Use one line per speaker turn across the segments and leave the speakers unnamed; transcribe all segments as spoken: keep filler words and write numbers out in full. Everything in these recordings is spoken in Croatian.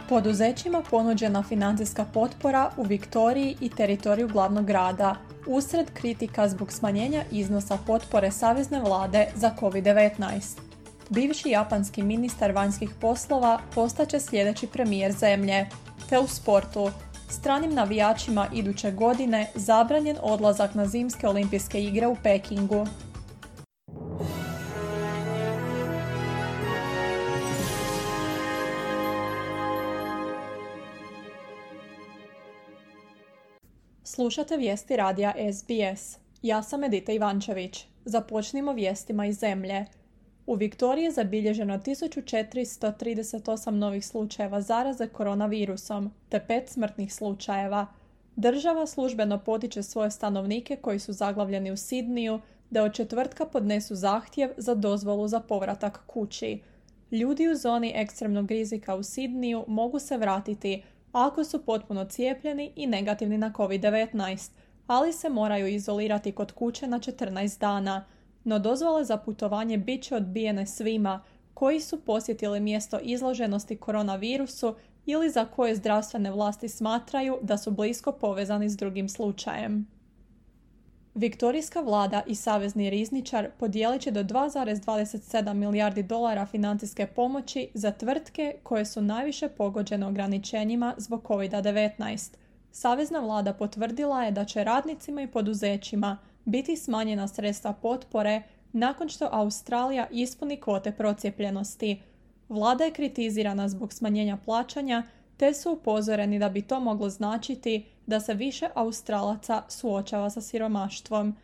Poduzećima ponuđena financijska potpora u Viktoriji i teritoriju glavnog grada, usred kritika zbog smanjenja iznosa potpore savezne vlade za kovid devetnaest. Bivši japanski ministar vanjskih poslova postaće sljedeći premijer zemlje, te u sportu. Stranim navijačima iduće godine zabranjen odlazak na zimske olimpijske igre u Pekingu. Slušate vijesti radija S B S. Ja sam Edita Ivančević. Započnimo vijestima iz zemlje. U Viktoriji je zabilježeno tisuću četiristo trideset osam novih slučajeva zaraze koronavirusom, te pet smrtnih slučajeva. Država službeno potiče svoje stanovnike koji su zaglavljeni u Sidniju da od četvrtka podnesu zahtjev za dozvolu za povratak kući. Ljudi u zoni ekstremnog rizika u Sidniju mogu se vratiti ako su potpuno cijepljeni i negativni na kovid devetnaest, ali se moraju izolirati kod kuće na četrnaest dana. No dozvole za putovanje bit će odbijene svima koji su posjetili mjesto izloženosti koronavirusu ili za koje zdravstvene vlasti smatraju da su blisko povezani s drugim slučajem. Viktorijska vlada i savezni rizničar podijelit će do dva zarez dvadeset sedam milijardi dolara financijske pomoći za tvrtke koje su najviše pogođene ograničenjima zbog kovid devetnaest. Savezna vlada potvrdila je da će radnicima i poduzećima biti smanjena sredstva potpore nakon što Australija ispuni kvote procijepljenosti. Vlada je kritizirana zbog smanjenja plaćanja, te su upozoreni da bi to moglo značiti da se više Australaca suočava sa siromaštvom.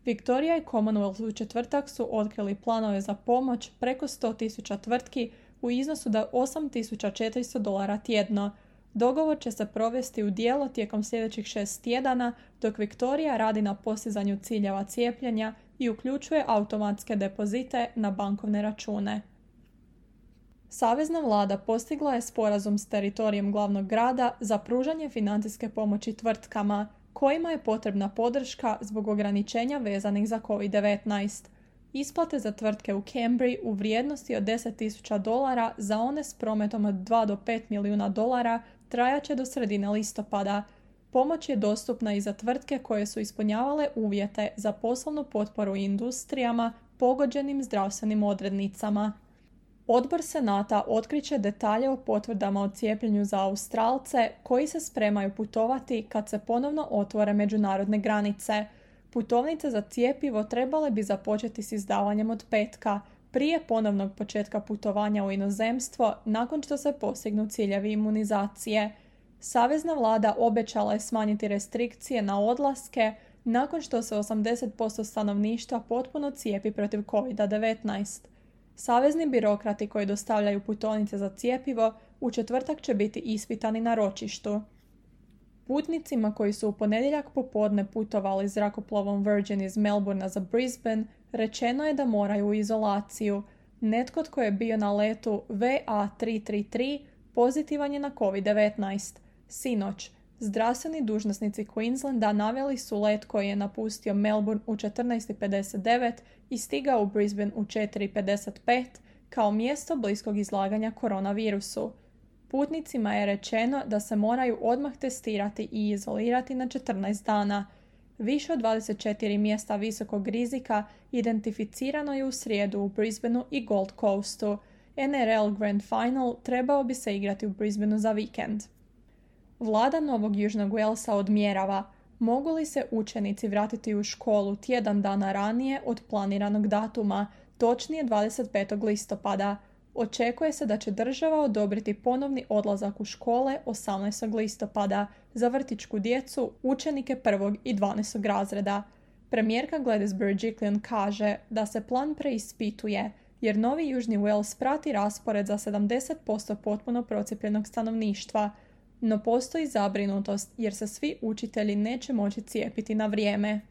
Viktorija i Commonwealth u četvrtak su otkrili planove za pomoć preko sto tisuća tvrtki u iznosu do osam tisuća četiristo dolara tjedno. Dogovor će se provesti u djelo tijekom sljedećih šest tjedana, dok Viktorija radi na postizanju ciljeva cijepljenja i uključuje automatske depozite na bankovne račune. Savezna vlada postigla je sporazum s teritorijem glavnog grada za pružanje financijske pomoći tvrtkama, kojima je potrebna podrška zbog ograničenja vezanih za kovid devetnaest. Isplate za tvrtke u Cambridge u vrijednosti od deset tisuća dolara za one s prometom od dva do pet milijuna dolara trajaće do sredine listopada. Pomoć je dostupna i za tvrtke koje su ispunjavale uvjete za poslovnu potporu industrijama pogođenim zdravstvenim odrednicama. Odbor Senata otkriće detalje o potvrdama o cijepljenju za Australce koji se spremaju putovati kad se ponovno otvore međunarodne granice. Putovnice za cjepivo trebale bi započeti s izdavanjem od petka, prije ponovnog početka putovanja u inozemstvo nakon što se postignu ciljevi imunizacije. Savezna vlada obećala je smanjiti restrikcije na odlaske nakon što se osamdeset posto stanovništva potpuno cijepi protiv kovid devetnaest. Savezni birokrati koji dostavljaju putovnice za cjepivo u četvrtak će biti ispitani na ročištu. Putnicima koji su u ponedjeljak popodne putovali zrakoplovom Virgin iz Melbournea za Brisbane rečeno je da moraju u izolaciju. Netko tko je bio na letu V A tri tri tri pozitivan je na kovid devetnaest. Sinoć, zdravstveni dužnosnici Queenslanda naveli su let koji je napustio Melbourne u četrnaest pedeset devet i stigao u Brisbane u četiri pedeset pet kao mjesto bliskog izlaganja koronavirusu. Putnicima je rečeno da se moraju odmah testirati i izolirati na četrnaest dana. Više od dvadeset četiri mjesta visokog rizika identificirano je u srijedu u Brisbaneu i Gold Coastu. N R L Grand Final trebao bi se igrati u Brisbaneu za vikend. Vlada Novog Južnog Walesa odmjerava mogu li se učenici vratiti u školu tjedan dana ranije od planiranog datuma, točnije dvadeset petog listopada. Očekuje se da će država odobriti ponovni odlazak u škole osamnaestog listopada za vrtićku djecu, učenike prvog i dvanaestog razreda. Premijerka Gladys Berejiklian kaže da se plan preispituje jer Novi Južni Wales prati raspored za sedamdeset posto potpuno procijepljenog stanovništva, no postoji zabrinutost jer se svi učitelji neće moći cijepiti na vrijeme.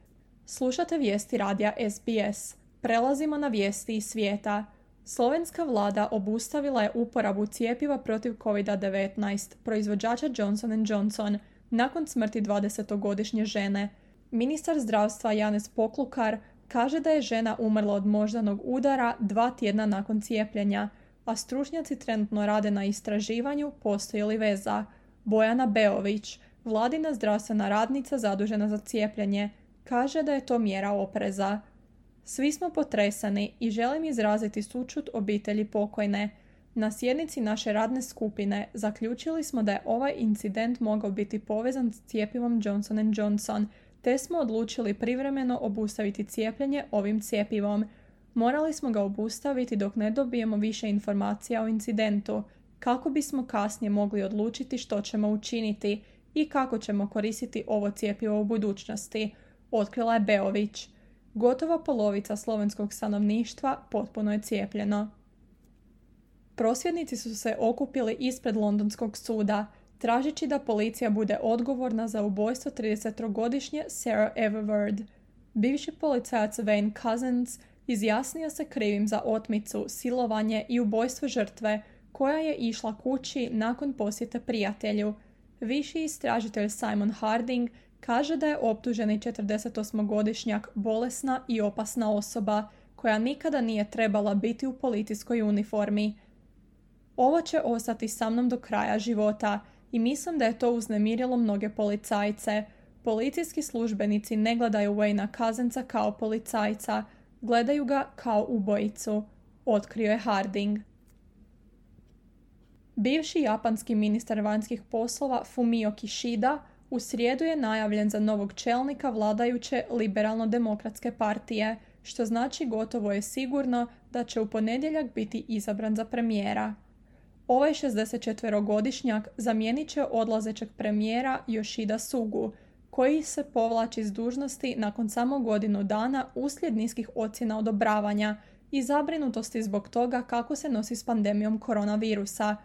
Slušate vijesti radija S B S. Prelazimo na vijesti iz svijeta. Slovenska vlada obustavila je uporabu cjepiva protiv kovid devetnaest proizvođača Johnson and Johnson nakon smrti dvadesetogodišnje žene. Ministar zdravstva Janez Poklukar kaže da je žena umrla od moždanog udara dva tjedna nakon cijepljenja. a stručnjaci trenutno rade na istraživanju postoji li veza. Bojana Beović, vladina zdravstvena radnica zadužena za cijepljenje, kaže da je to mjera opreza. Svi smo potresani i želim izraziti sućut obitelji pokojne. Na sjednici naše radne skupine zaključili smo da je ovaj incident mogao biti povezan s cjepivom Johnson and Johnson, te smo odlučili privremeno obustaviti cijepljenje ovim cjepivom. Morali smo ga obustaviti dok ne dobijemo više informacija o incidentu, kako bismo kasnije mogli odlučiti što ćemo učiniti i kako ćemo koristiti ovo cjepivo u budućnosti, otkrila je Beović. Gotovo polovica slovenskog stanovništva potpuno je cijepljeno. Prosvjednici su se okupili ispred londonskog suda, tražeći da policija bude odgovorna za ubojstvo tridesettrogodišnje Sarah Everard. Bivši policajac Wayne Couzens izjasnio se krivim za otmicu, silovanje i ubojstvo žrtve, koja je išla kući nakon posjete prijatelju. Viši istražitelj Simon Harding kaže da je optuženi četrdesetosmogodišnjak bolesna i opasna osoba, koja nikada nije trebala biti u policijskoj uniformi. Ovo će ostati sa mnom do kraja života i mislim da je to uznemirilo mnoge policajce. Policijski službenici ne gledaju Wayna Cousensa kao policajca, gledaju ga kao ubojicu, otkrio je Harding. Bivši japanski ministar vanjskih poslova Fumio Kishida u srijedu je najavljen za novog čelnika vladajuće liberalno-demokratske partije, što znači gotovo je sigurno da će u ponedjeljak biti izabran za premijera. Ovaj šezdesetčetverogodišnjak zamijenit će odlazećeg premijera Yoshida Sugu, koji se povlači s dužnosti nakon samo godinu dana uslijed niskih ocjena odobravanja i zabrinutosti zbog toga kako se nosi s pandemijom koronavirusa.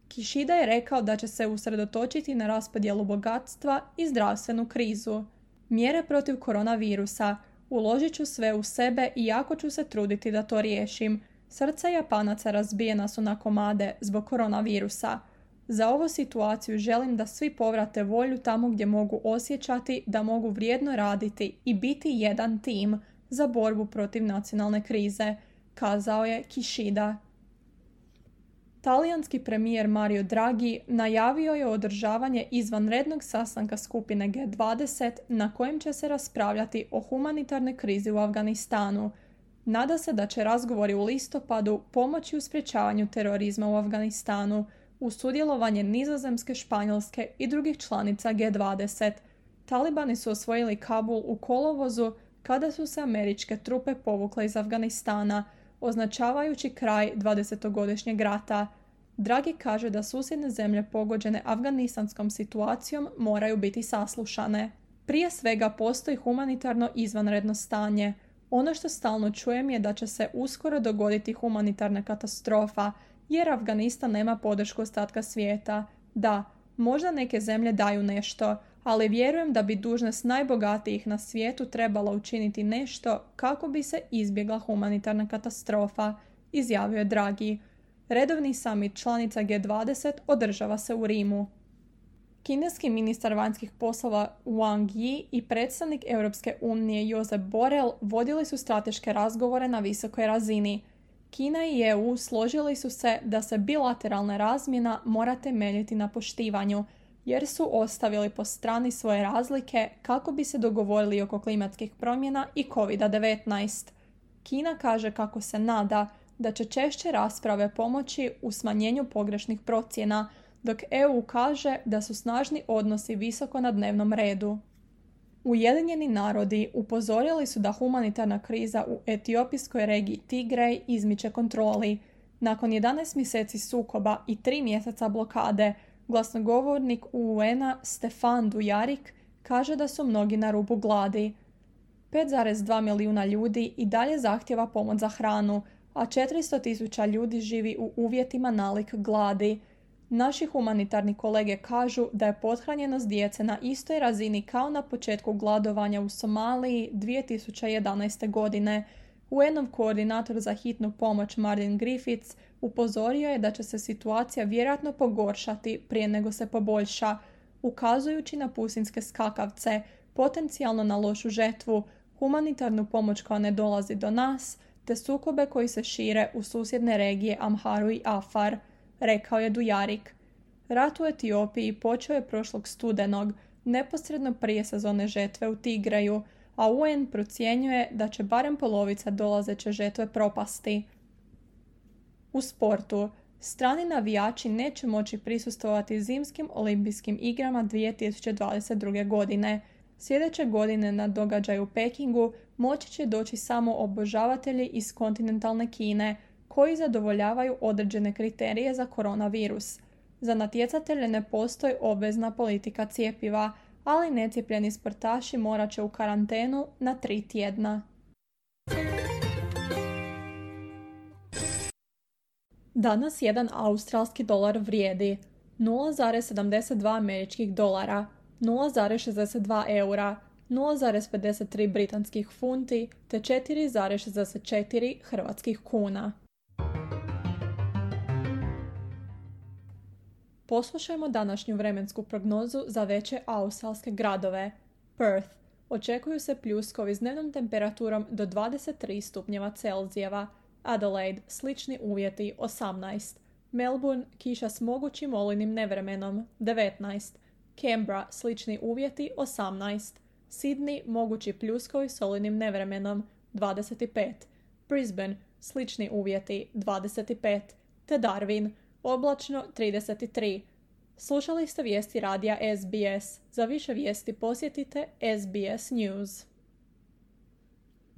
Kishida je rekao da će se usredotočiti na raspodjelu bogatstva i zdravstvenu krizu. Mjere protiv koronavirusa. Uložit ću sve u sebe i jako ću se truditi da to riješim. Srca Japanaca razbijena su na komade zbog koronavirusa. Za ovu situaciju želim da svi povrate volju tamo gdje mogu osjećati da mogu vrijedno raditi i biti jedan tim za borbu protiv nacionalne krize, kazao je Kishida. Talijanski premijer Mario Draghi najavio je održavanje izvanrednog sastanka skupine G dvadeset na kojem će se raspravljati o humanitarnoj krizi u Afganistanu. Nada se da će razgovori u listopadu pomoći u sprječavanju terorizma u Afganistanu uz sudjelovanje Nizozemske, Španjolske i drugih članica G dvadeset. Talibani su osvojili Kabul u kolovozu kada su se američke trupe povukle iz Afganistana, označavajući kraj dvadesetogodišnjeg rata. Draghi kaže da susjedne zemlje pogođene afganistanskom situacijom moraju biti saslušane. Prije svega postoji humanitarno izvanredno stanje. Ono što stalno čujem je da će se uskoro dogoditi humanitarna katastrofa, jer Afganistan nema podršku ostatka svijeta. Da, možda neke zemlje daju nešto, ali vjerujem da bi dužnost najbogatijih na svijetu trebala učiniti nešto kako bi se izbjegla humanitarna katastrofa, izjavio je Draghi. Redovni summit članica G dvadeset održava se u Rimu. Kineski ministar vanjskih poslova Wang Yi i predstavnik Europske unije Josep Borrell vodili su strateške razgovore na visokoj razini. Kina i E U složili su se da se bilateralna razmjena mora temeljiti na poštivanju, jer su ostavili po strani svoje razlike kako bi se dogovorili oko klimatskih promjena i kovid devetnaest. Kina kaže kako se nada da će češće rasprave pomoći u smanjenju pogrešnih procjena, dok E U kaže da su snažni odnosi visoko na dnevnom redu. Ujedinjeni narodi upozorili su da humanitarna kriza u etiopijskoj regiji Tigrej izmiče kontroli. Nakon jedanaest mjeseci sukoba i tri mjeseca blokade, glasnogovornik U N-a Stefan Dujarric kaže da su mnogi na rubu gladi. pet zarez dva milijuna ljudi i dalje zahtjeva pomoć za hranu, a četiristo tisuća ljudi živi u uvjetima nalik gladi. Naši humanitarni kolege kažu da je pothranjenost djece na istoj razini kao na početku gladovanja u Somaliji dvije tisuće jedanaeste. godine. U N-ov koordinator za hitnu pomoć Martin Griffiths upozorio je da će se situacija vjerojatno pogoršati prije nego se poboljša, ukazujući na pusinske skakavce, potencijalno na lošu žetvu, humanitarnu pomoć koja ne dolazi do nas, te sukobe koji se šire u susjedne regije Amharu i Afar, rekao je Dujarik. Rat u Etiopiji počeo je prošlog studenog, neposredno prije sezone žetve u Tigreju, a U N procjenjuje da će barem polovica dolazeće žetve propasti. U sportu, strani navijači neće moći prisustvovati zimskim olimpijskim igrama dvije tisuće dvadeset druge. godine. Sljedeće godine na događaju u Pekingu moći će doći samo obožavatelji iz kontinentalne Kine, koji zadovoljavaju određene kriterije za koronavirus. Za natjecatelje ne postoji obvezna politika cjepiva, ali necijepljeni sportaši morat će u karantenu na tri tjedna. Danas jedan australski dolar vrijedi nula zarez sedamdeset dva američkih dolara, nula zarez šezdeset dva eura, nula zarez pedeset tri britanskih funti te četiri zarez šezdeset četiri hrvatskih kuna. Poslušajmo današnju vremensku prognozu za veće australske gradove. Perth. Očekuju se pljuskovi s dnevnom temperaturom do dvadeset tri stupnjeva Celzijeva. Adelaide. Slični uvjeti osamnaest. Melbourne. Kiša s mogućim olujnim nevremenom devetnaest. Canberra. Slični uvjeti osamnaest. Sydney. Mogući pljuskovi s olujnim nevremenom dvadeset pet. Brisbane. Slični uvjeti dvadeset pet. Te Darwin. Oblačno trideset tri. Slušali ste vijesti radija S B S. Za više vijesti posjetite S B S News.